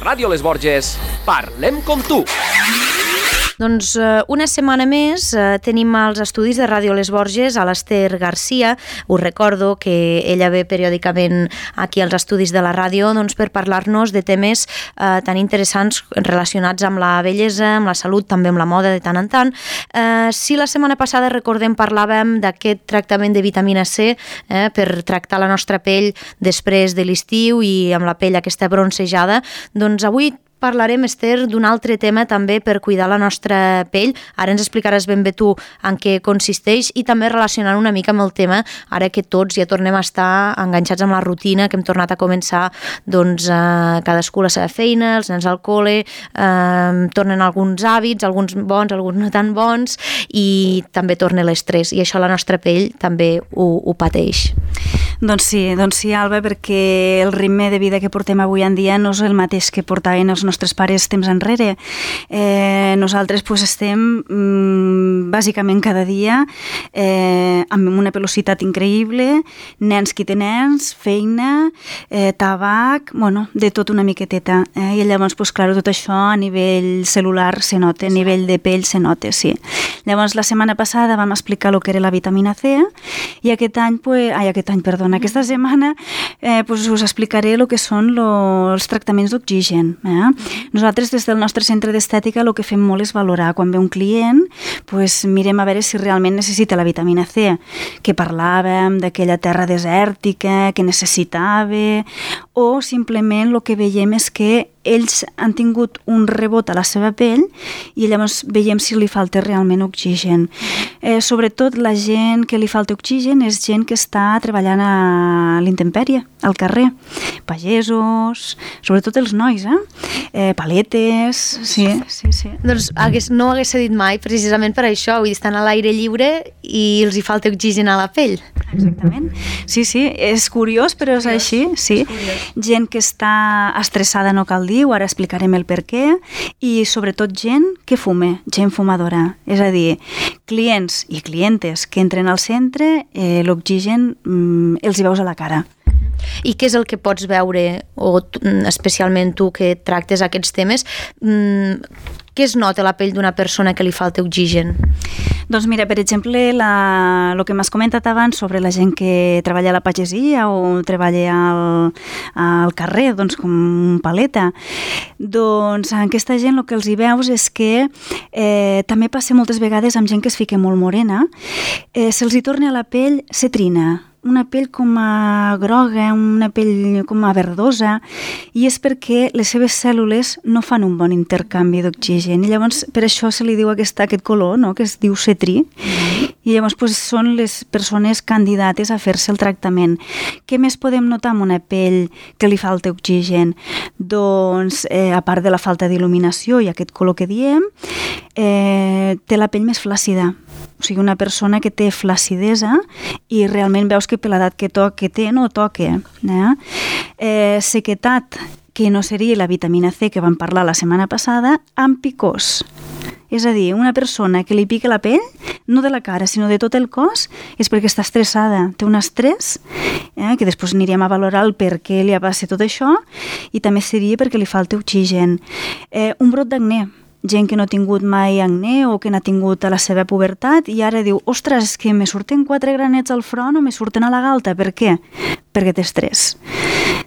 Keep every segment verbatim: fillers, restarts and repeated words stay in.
Ràdio Les Borges, parlem com tu. Doncs una setmana més eh, tenim als estudis de Ràdio Les Borges a l'Ester Garcia. Us recordo que ella ve periòdicament aquí als estudis de la ràdio doncs, per parlar-nos de temes eh, tan interessants relacionats amb la bellesa, amb la salut, també amb la moda de tant en tant. Eh, si la setmana passada, recordem, parlàvem d'aquest tractament de vitamina C eh, per tractar la nostra pell després de l'estiu i amb la pell aquesta bronzejada, doncs avui parlarem, Ester, d'un altre tema també per cuidar la nostra pell. Ara ens explicaràs ben bé tu en què consisteix i també relacionant una mica amb el tema, ara que tots ja tornem a estar enganxats amb la rutina, que hem tornat a començar doncs, eh, cadascú la seva feina, els nens al col·le, eh, tornen alguns hàbits, alguns bons, alguns no tan bons, i també torna l'estrès, i això la nostra pell també ho, ho pateix. Doncs sí, doncs sí, Alba, perquè el ritme de vida que portem avui en dia no és el mateix que portaven els nostres pares temps enrere. Eh, nosaltres pues, estem mm, bàsicament cada dia eh, amb una velocitat increïble, nens qui té nens, feina, eh, tabac, bueno, de tot una miqueteta. Eh? I llavors, pues, clar, tot això a nivell celular se nota, a nivell de pell se nota, sí. Llavors, la setmana passada vam explicar el que era la vitamina C i aquest any, pues, ai, aquest any, perdona, aquesta setmana eh, pues us explicaré el que són lo, els tractaments d'oxigen. Eh? Nosaltres des del nostre centre d'estètica el que fem molt és valorar. Quan ve un client, pues, mirem a veure si realment necessita la vitamina C, que parlàvem d'aquella terra desèrtica que necessitava, o simplement el que veiem és que ells han tingut un rebot a la seva pell i llavors veiem si li falta realment oxigen. Eh, sobretot la gent que li falta oxigen és gent que està treballant a l'intempèrie, al carrer. Pagesos, sobretot els nois, eh? eh paletes, sí, sí, sí. Doncs hagués, no ho hagués dit mai, precisament per això, vull dir, estan a l'aire lliure i els hi falta oxigen a la pell. Exactament. Sí, sí, és curiós, però és, és així, sí. És gent que està estressada, no cal dir, ara explicarem el per què, i sobretot gent que fume, gent fumadora. És a dir, clients i clientes que entren al centre, eh, l'oxigen mm, els hi veus a la cara. I què és el que pots veure, o especialment tu que tractes aquests temes, mm, què es nota a la pell d'una persona que li falta oxigen? Doncs mira, per exemple, la, el que m'has comentat abans sobre la gent que treballa a la pagesia o treballa al, al carrer, doncs com paleta, doncs en aquesta gent el que els hi veus és que eh, també passa moltes vegades amb gent que es fica molt morena, eh, se'ls hi torna a la pell cetrina, una pell com a groga, una pell com a verdosa, i és perquè les seves cèl·lules no fan un bon intercanvi d'oxigen, i llavors per això se li diu aquest, aquest color, no?, que es diu cetrí, i llavors pues, són les persones candidates a fer-se el tractament. Què més podem notar amb una pell que li falta oxigen? Doncs, eh, a part de la falta d'il·luminació i aquest color que diem, eh, té la pell més flàcida. O sigui, una persona que té flacidesa i realment veus que per l'edat que, to que té no toca. Eh? Eh, sequetat, que no seria la vitamina C que vam parlar la setmana passada, amb picors. És a dir, una persona que li pica la pell, no de la cara, sinó de tot el cos, és perquè està estressada, té un estrès, eh, que després anirem a valorar el per què li passa tot això, i també seria perquè li falta oxigen. Eh, un brot d'acné, gent que no ha tingut mai acné o que n'ha tingut a la seva pubertat i ara diu, ostres, és que me surten quatre granets al front o me surten a la galta. Per què? Perquè té estrès.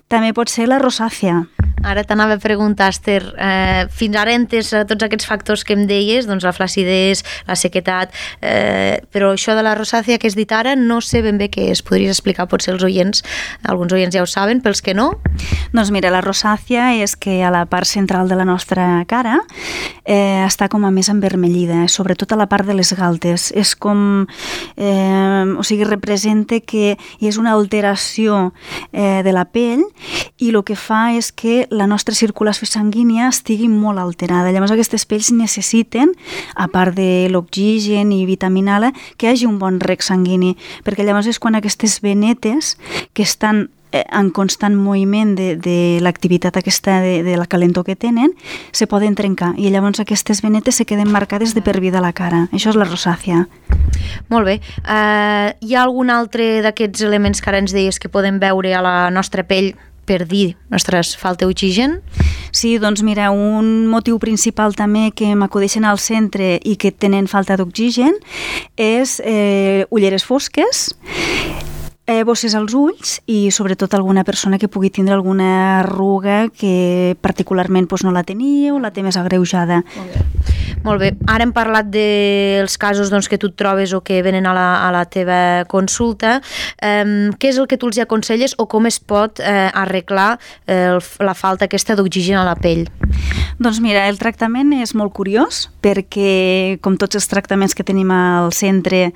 També pot ser la rosàcia. Ara t'anava a preguntar, Ester, eh, fins ara entes tots aquests factors que em deies, doncs la flacidesa, la sequetat, eh, però això de la rosàcia que has dit ara no sé ben bé què és. Podries explicar potser els oients, alguns oients ja ho saben, pels que no? Doncs mira, la rosàcia és que a la part central de la nostra cara eh, està com a més envermellida, sobretot a la part de les galtes. És com, eh, o sigui, representa que hi és una alteració eh, de la pell i el que fa és que la nostra circulació sanguínia estigui molt alterada. Llavors aquestes pells necessiten, a part de l'oxigen i vitamina A, que hi hagi un bon reg sanguini, perquè llavors és quan aquestes venetes que estan en constant moviment de, de l'activitat aquesta de, de la calentor que tenen, se poden trencar i llavors aquestes venetes se queden marcades de per vida a la cara. Això és la rosàcia. Molt bé. Uh, hi ha algun altre d'aquests elements que ara ens deies que podem veure a la nostra pell per dir, ostres, falta oxigen? Sí, doncs mira, un motiu principal també que m'acudeixen al centre i que tenen falta d'oxigen és eh, ulleres fosques, Eh, bosses als ulls i sobretot alguna persona que pugui tindre alguna arruga que particularment doncs, no la tenia o la té més agreujada. Molt bé. Molt bé. Ara hem parlat dels casos doncs, que tu et trobes o que venen a la, a la teva consulta. Um, què és el que tu els aconselles o com es pot eh, arreglar eh, la falta aquesta d'oxigen a la pell? Doncs mira, el tractament és molt curiós perquè, com tots els tractaments que tenim al centre,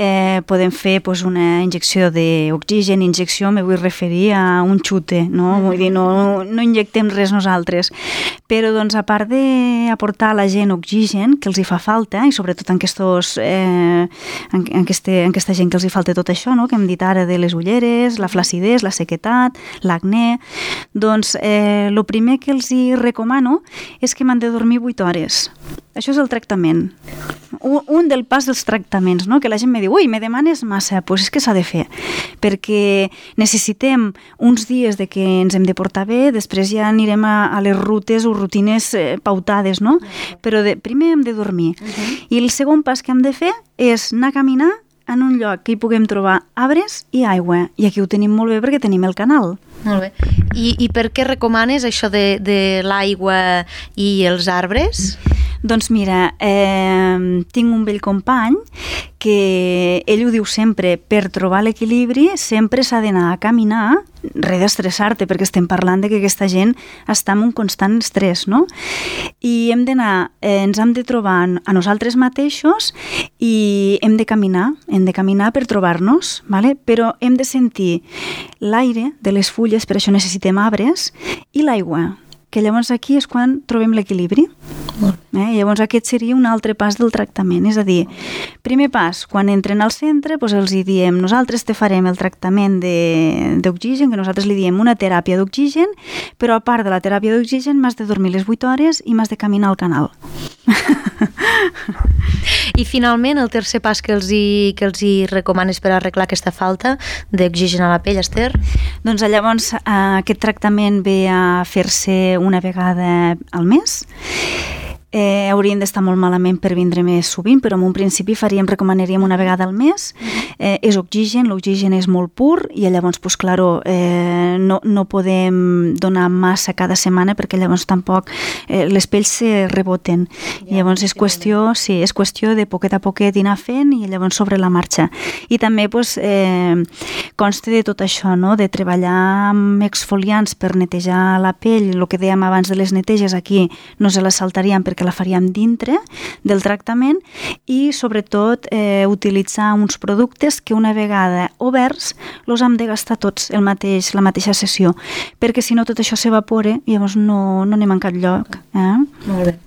eh, podem fer doncs, una injecció d'oxigen. Injecció me vull referir a un xute, no? Vull dir, no, no injectem res nosaltres. Però, doncs, a part d'aportar a la gent oxigen, que els hi fa falta, i sobretot en, aquestos, eh, en, en, este, en aquesta gent que els hi falta tot això, no? Que hem dit ara de les ulleres, la flacidesa, la sequetat, l'acné, doncs, eh, el primer que els hi recomano és que m'han de dormir vuit hores. Això és el tractament. Un, un del pas dels tractaments, no? Que la gent me diu, ui, me demanes massa, doncs pues és que s'ha de fer, perquè necessitem uns dies de que ens hem de portar bé, després ja anirem a, a les rutes o rutines eh, pautades, no? Però de, primer hem de dormir. Uh-huh. I el segon pas que hem de fer és anar a caminar en un lloc que hi puguem trobar arbres i aigua. I aquí ho tenim molt bé perquè tenim el canal. Molt bé. I, i per què recomanes això de, de l'aigua i els arbres? Doncs mira, eh, tinc un vell company que ell ho diu sempre, per trobar l'equilibri sempre s'ha d'anar a caminar, res d'estressar-te, perquè estem parlant de que aquesta gent està en un constant estrès, no? I hem d'anar, eh, ens hem de trobar a nosaltres mateixos i hem de caminar, hem de caminar per trobar-nos, ¿vale? Però hem de sentir l'aire de les fulles, per això necessitem arbres, i l'aigua, que llavors aquí és quan trobem l'equilibri. Eh? Llavors aquest seria un altre pas del tractament, és a dir, primer pas, quan entren al centre, doncs els hi diem, nosaltres te farem el tractament d'oxigen, que nosaltres li diem una teràpia d'oxigen, però a part de la teràpia d'oxigen m'has de dormir les vuit hores i m'has de caminar al canal. I finalment el tercer pas que els hi, que els hi recomanes per arreglar aquesta falta d'oxigen a la pell, Esther? Doncs llavors aquest tractament ve a fer-se una vegada al mes. Eh, haurien d'estar molt malament per vindre més sovint, però en un principi faríem, recomanaríem una vegada al mes. Eh, és oxigen, l'oxigen és molt pur i llavors, pues, claro, eh, no, no podem donar massa cada setmana perquè llavors tampoc eh, les pells se reboten. Ja, llavors és qüestió, sí, és qüestió de poquet a poquet anar fent i llavors sobre la marxa. I també pues, eh, consta de tot això, no? De treballar amb exfoliants per netejar la pell, el que dèiem abans de les neteges aquí no se les saltaríem perquè la faríem dintre del tractament i sobretot eh, utilitzar uns productes que una vegada oberts els hem de gastar tots el mateix, la mateixa sessió, perquè si no tot això s'evapora i llavors no, no anem a cap lloc. Eh? Molt bé.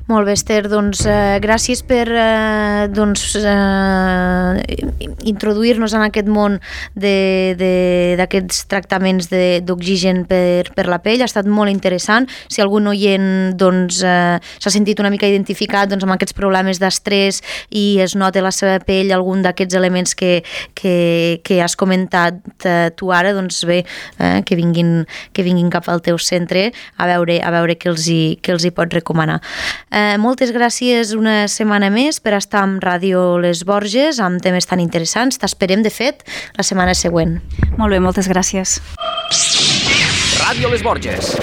Molt bé, Esther, doncs eh, gràcies per eh, doncs, eh, introduir-nos en aquest món d'aquests tractaments d'oxigen per, per la pell. Ha estat molt interessant. Si algun oient doncs, eh, s'ha sentit una mica identificat doncs, amb aquests problemes d'estrès i es nota a la seva pell algun d'aquests elements que, que, que has comentat eh, tu ara, doncs bé, eh, que, vinguin, que vinguin cap al teu centre a veure, a veure què els hi, què els hi pot recomanar. Eh, moltes gràcies una setmana més per estar amb Ràdio Les Borges amb temes tan interessants. T'esperem, de fet, la setmana següent. Molt bé, moltes gràcies. Ràdio Les Borges.